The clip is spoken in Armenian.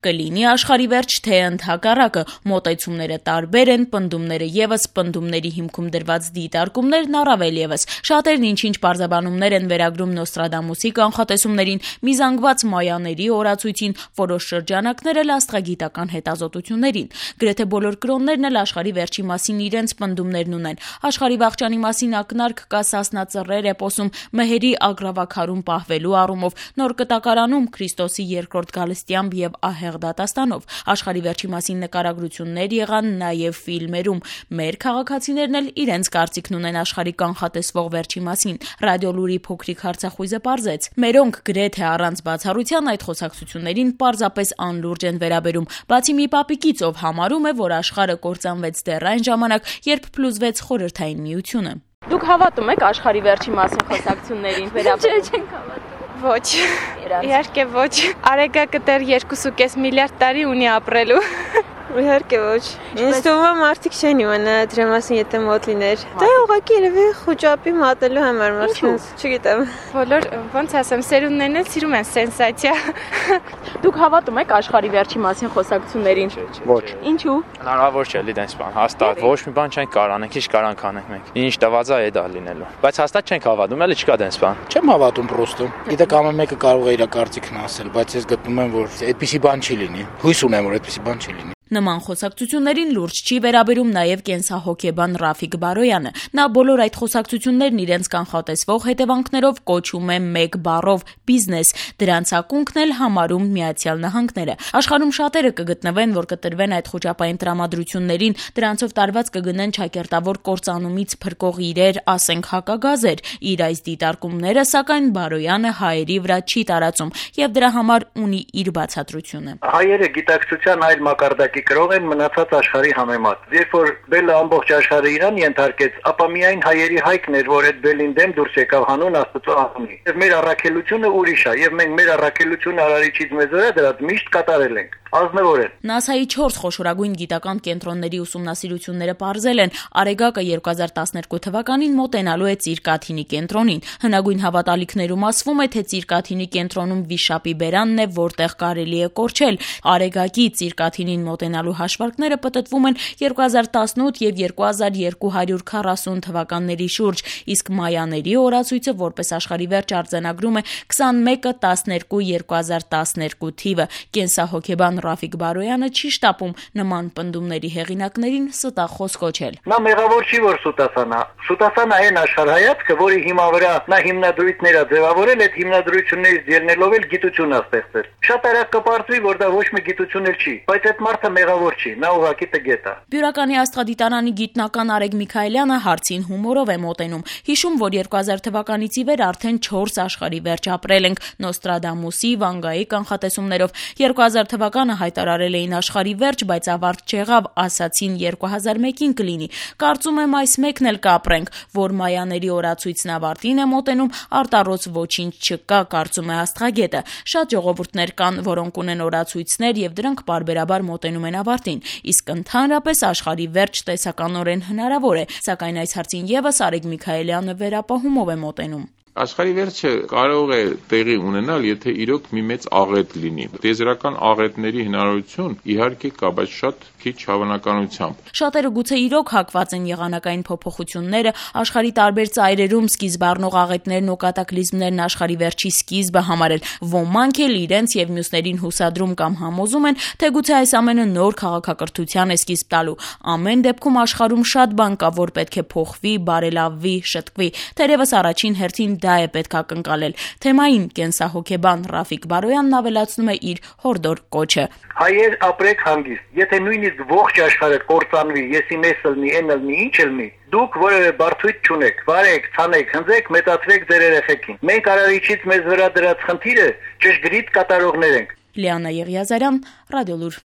Կլինի աշխարհի վերջ, թե ընդհակառակը, մոտեցումները տարբեր են, պնդումները ևս, պնդումների հիմքում դրված դիտարկումներն առավել ևս։ Շատերն ինչ-ինչ պարզաբանումներ են վերագրում Նոստրադամուսի կանխատեսումներին, միզանգված մայաների օրացույցին, որոշ շրջանակներ էլ աստղագիտական հետազոտություններին։ Գրեթե բոլոր կրոններն էլ աշխարհի վերջի մասին իրենց պնդումներն ունեն։ Աշխարհի վախճանի մասին ակնարկ կա Սասնա Ծռեր էպոսում մեհերի ագրավաքարում պահվելու առումով, Նոր Կտակարանում Քրիստոսի երկրորդ գալստյամբ եւ դատաստանով։ Աշխարհի վերջի մասին նկարագրություններ եղան նաև ֆիլմերում։ Մեր քաղաքացիներն էլ իրենց կարծիքն ունեն աշխարհի կանխատեսվող վերջի մասին։ Ռադիոլուրի փոքրիկ հարցախույզը պարզեց. մերոնք գրեթե առանց բացառության այդ խոսակցություններին պարզապես անլուրջ են վերաբերում, բացի մի պապիկից, ով համարում է, որ աշխարհը կործանվեց դեռ այն ժամանակ, երբ փլուզվեց Խորհրդային Միությունը։ Դուք հավատում եք աշխարհի վերջի մասին խոսակցություններին վերաբերում։ Չենք հավատում։ Ոչ, իհարկե ոչ, արեգակը դեռ 2.5 միլիարդ տարի ունի ապրելու։ Իհարկե ոչ, ինձ թվում է մարդիկ չեն իմանա դրա մասին, եթե մոտ լիներ։ Դա ուղղակի երևի խոճապի մատելու համար մարդկանց, չգիտեմ։ Բոլոր, ոնց ասեմ, սերունդներն էլ սիրում են սենսացիա։ Դուք հավատում եք աշխարհի վերջի մասին խոսակցություններին։ Ոչ։ Ինչու։ Հնարավոր չէ լինես բան, հաստատ։ Ոչ մի բան չենք կարող անենք, ինչ կարանք անենք մենք։ Ինչ տված է դա լինելու։ Բայց հաստատ չենք հավատում, էլի չկա դենս բան։ Չեմ հավատում պրոստը։ Գիտեք, ամեն մեկը կարող է իր կարծիքն ասել, բայց ես գտնում եմ, որ այդպիսի բան չի լինի։ Հույս ունեմ, որ այդպիսի բան չի լինի։ Նման խոսակցություններին լուրջ չի վերաբերում նաև կենսահոգեբան Ռաֆիկ Բարոյանը։ Նա բոլոր այդ խոսակցություններն իրենց կանխատեսվող հետևանքներով կոչում է մեկ բառով՝ բիզնես։ Դրանց ակունքն էլ համարում Միացյալ Նահանգները։ Աշխարհում շատերը կգտնվեն, որ կտրվեն այդ խոճապային տրամադրություններին, դրանցով տարված կգնեն ճակերտավոր կործանումից փրկող իրեր, ասենք հակագազեր։ Իր այս դիտարկումները, սակայն Բարոյանը հայերի վրա չի տարածում եւ դրա համար ունի իր բացատրությունը։ Հայերը գիտակցության այլ մակարդակի կրող են մնացած աշխարհի համեմատ։ Երբ որ բելը ամբողջ աշխարհը իրան ենթարկեց, ապա միայն հայերի հայքն էր, որ այդ բելին դեմ դուրս եկավ հանուն Աստծո անունի։ Եվ մեր առաքելությունը ուրիշ է, եւ մենք մեր առաքելությունը Արարիչից մեզ վրա դրած միշտ կատարել ենք։ Ազնվոր են։ ՆԱՍԱ-ի 4 խոշորագույն գիտական կենտրոնների ուսումնասիրությունները պարզել են, Արեգակը 2012 թվականին մոտենալու է Ծիրկաթինի կենտրոնին։ Հնագույն հավատալիքներում ասվում է, թե Ծիրկաթինի կենտրոնում վիշապի բերանն է, որտեղ կարելի է կորչել։ Արեգակի Ծիրկաթինին մոտենալու հաշվարկները պտտվում են 2018 եւ 2240 թվականների շուրջ, իսկ մայաների օրացույցը որպես աշխարհի վերջ արձանագրում է 21/12/2012 թիվը։ Կենսահոգեբան Ռաֆիկ Բարոյանը չի շտապում նման պնդումների հեղինակներին ստախոս կոչել։ Նա մեղավոր չի, որ սուտասանա։ Սուտասանա այն աշխարհայացքը, որի հիմա վրա նա հիմնադրույթներ է ձևավորել, այդ հիմնադրույթներից ելնելով էլ գիտություն է ստեղծել։ Շատ արագ կպարզվի, որ դա ոչ մի գիտություն էլ չի, բայց այդ մարդը մեղավոր չի, նա ուղղակի տգետ է։ Բյուրականի աստղադիտարանի գիտնական Արեգ Միքայելյանը հարցին հումորով է մոտենում։ Հիշում, որ 2000 թվականից ի վեր արդեն 4 աշխարհի վերջ ապրել ենք Նոստրադամուսի, Վանգայի կանխատեսումներով։ 2000 թվականը հայտարարել էին աշխարհի վերջ, բայց ավարտ չեղավ, ասացին 2001-ին կլինի։ Կարծում եմ այս մեկն էլ կապրենք, որ մայաների օրացույցն ավարտին է մոտենում, արտառոց ոչինչ չկա, կարծում է աստղագետը։ Շատ ժողովուրդներ կան, որոնք ունեն օրացույցներ եւ դրանք պարբերաբար մոտենում են ավարտին, իսկ ընդհանրապես աշխարհի վերջ տեսականորեն հնարավոր է, սակայն այս հարցին եւս Արեգ Միքայելյանը վերապահումով է մոտենում։ Աշխարհի վերջը կարող է տեղի ունենալ, եթե իրոք մի մեծ աղետ լինի։ Տիեզերական աղետների հնարավորություն իհարկե կա, բայց շատ քիչ հավանականությամբ։ Շատերը գուցե իրոք հակված են եղանակային փոփոխությունները, աշխարհի տարբեր ծայրերում սկիզբ առնող աղետներն ու կատակլիզմներն աշխարհի վերջի սկիզբը համարել։ Ոմանք էլ իրենց եւ մյուսներին հուսադրում կամ համոզում են, թե գուցե այս ամենը նոր քաղաքակրթության է սկիզբ տալու։ Ամեն դեպքում աշխարհում շատ բան կա, որ պետք է փոխվի, բարելավվի, շտկվի։ Թերևս առաջին հերթին դա է պետք ակնկալել։ Թեմային կենսահոգեբան Ռաֆիկ Բարոյանն ավելացնում է իր հորդոր կոչը։ Հայեր ապրեք հանգիստ։ Եթե նույնիսկ ողջ աշխարհը կործանվի, եսի մեզ լնի, այն լնի, ինչ լնի, դուք որևէ բարդույթ չունեք։ Վարեք, ցանեք, հնձեք, մեծացրեք ձեր երեխեքին։ Մենք Արարիչից մեզ վրա դրած խնդիրը ճշգրիտ կատարողներ ենք։ Լիանա Եղիազարյան, Ռադիոլուր։